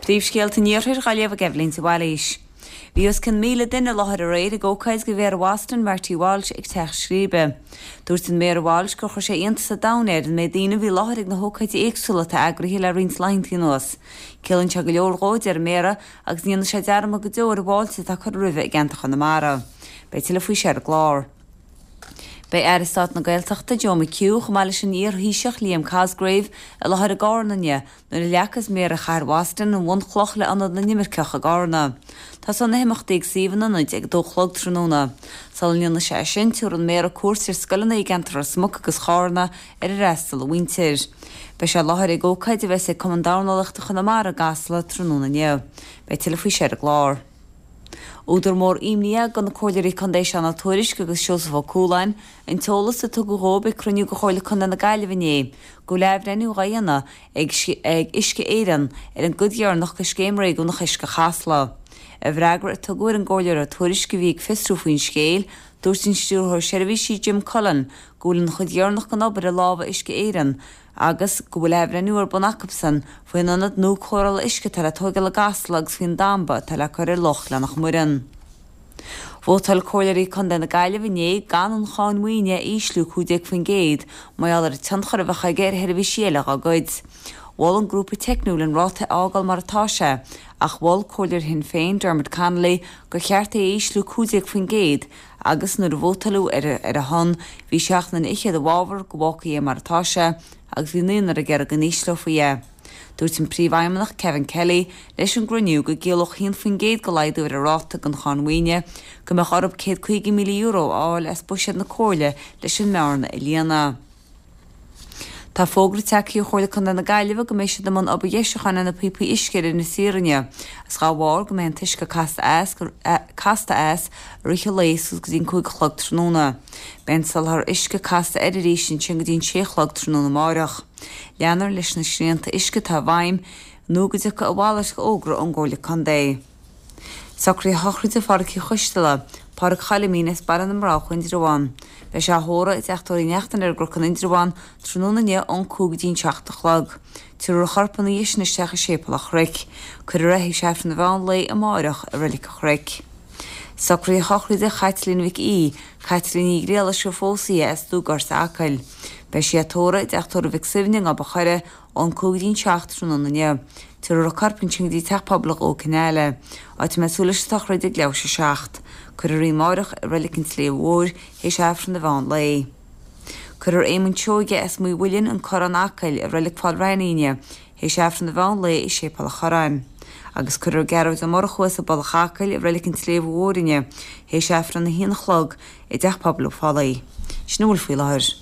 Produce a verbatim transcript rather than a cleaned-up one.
Príomhscéalta an Iarthair á léamh ag Eibhlín de Bhailís. Bhí os cionn míle duine i láthair aréir ag ócáid do Mhéara Bhoston Marty Walsh ag Teach Scríbe. Dúirt an Méara Walsh gur chuir sé iontas an domhain air an méid daoine a bhí i láthair ag na hócáidí éagsúla atá eagraithe le roinnt laethanta anuas. Ciallaíonn sé go leor dhó, a deir an Méara, agus ní dhéanfaidh sé dearmad go deo ar an bhfáilte atá curtha roimhe i gceantar Chonamara. Beidh tuilleadh faoi seo ar an gclár. Beidh Aire Stáit na Gaeltachta Joe McHugh chomh maith leis an iar-Thaoiseach Liam Cosgrave i láthair i gCarna inniu nuair a leagfas Méara Chathair Bhoston an bhunchloch le ionad na n-imirceach i gCarna. Tosóidh na himeachtaí ag suíomh an ionaid ag a dó a chlog tráthnóna. Sula ndéanfaidh sé sin, tabharfaidh an Méara cuairt ar scoileanna i gceantar Ros Muc agus Charna ar ar fhreastail a mhuintir. Beidh sé i láthair ag ócáid a bheas ag Cumann Dornálaíochta Chonamara i gCasla tráthnóna inniu. Beidh tuilleadh faoi seo ar an gclár. Údar mór imní do na Comhairleoirí Contae Seán Ó Tuairisg agus Seosamh Ó Cualáin an t-eolas a tugadh dóibh ag cruinniú de Chomhairle Contae na Gaillimhe inné go bhfuil athbhreithniú á dhéanamh ag ag Uisce Éireann ar an gcuid dheireanach de scéim réigiúnach Uisce Chasla. I bhfreagra a tugadh ar an gComhairleoir Ó Tuairisg a bhí ag fiosrú faoin scéal, dúirt an stiúrthóir seirbhísí Jim Cullen go bhfuil an chuid dheireanach den obair i lámha Uisce Éireann agus go bhfuil athbhreithniú ar bun acusan faoin ionad nua cóireála uisce atá le tógáil i gCasla agus faoin damba atá le cur ar Loch Ghleann Muireann. Vótáil Comhairleoirí Contae na Gaillimhe inné gan an cháin mhaoine a ísliú cúig déag faoin gcéad mar gheall ar an tionchar a bheadh aige ar sheirbhísí eile dá gcuid. Mhol an grúpa teicniúil an ráta a fhágáil mar atá sé, ach mhol Comhairleoir Shinn Féin Dermot Connolly gur cheart é a ísliú cúig déag faoin gcéad agus nuair a vótáladh ar ar a shon bhí seacht nduine fhichead i bhfabhar go bhfágfaí é mar atá sé agus bhí naonúr ag iarraidh go n-ísleofaí é. Dúirt an príomhfheidhmeannach Kevin Kelly leis an gcruinniú go gciallódh haon faoin gcéad de laghdú ar an ráta den cháin mhaoine go mbeadh orthu céad caoga míle euro a fháil as buiséad na Comhairle leis an mbearna a líonadh. Tá fógra tagtha ó Chomhairle Contae na Gaillimhe go mbeidh siad i mbun obair dheisiúcháin ar na píopaí uisce ar Inis Oírr inniu, agus dá bharr go mbeidh an t-uisce casta as casta as i rith an lae suas go dtí an cúig a chlog tráthnóna. Beidh an soláthar uisce casta air arís ansin go dtí an sé a chlog tráthnóna amárach. Leanfar leis na srianta uisce atá i bhfeidhm nó go dtiocfaidh a mhalairt d'fhógra ón gComhairle Contae. Socruithe sochraide Phádraig Uí Choisteala, Pádraig Choilimín as Baile na mBroghach Indreabhán. Beidh sé á thórramh i dteach tórraimh Uí Neachtain ar an gCnoc in Indreabhán tráthnóna inniu ón cúig go dtí an seacht a chlog. Tabharfar a chorp ina dhiaidh sin isteach i Séipéal an Chnoic. Cuirfear é théis Aifreann an mheán lae amárach i Reilig an Chnoic. Socruithe sochraide Chaitlín Mhic Aoidh, Caitlín Ní Ghriallais ar phós í as Dúgort Acaill. Beidh sí á tórramh i dteach tórraimh Mhic Suibhne i nGob an Choire ón cúig go dtí an seacht tráthnóna inniu. Tabharfar a corp ansin go dtí teach pobail Dhumha Cineáile. Áit a mbeidh súil leis an tsochraid ag leathuair théis a seacht. Cuirfear í amárach i Reilig an tSléibhe Mhóir théis Aifreann an mheán lae. Cuirfear Éamonn Seoige as Maigh Mhuilinn an Corrán Acaill i Reilig Pháil Raithní inniu théis Aifreann an mheán lae i Séipéal an Chorráin. Agus cuirfear Gearóid Ó Murchú as an Mhullach Acaill i Reilig an tSléibhe Mhóir inniu théis Aifreann a haon a chlog i dteach pobail Ó Fálaí. Sin a bhfuil faoi láthair.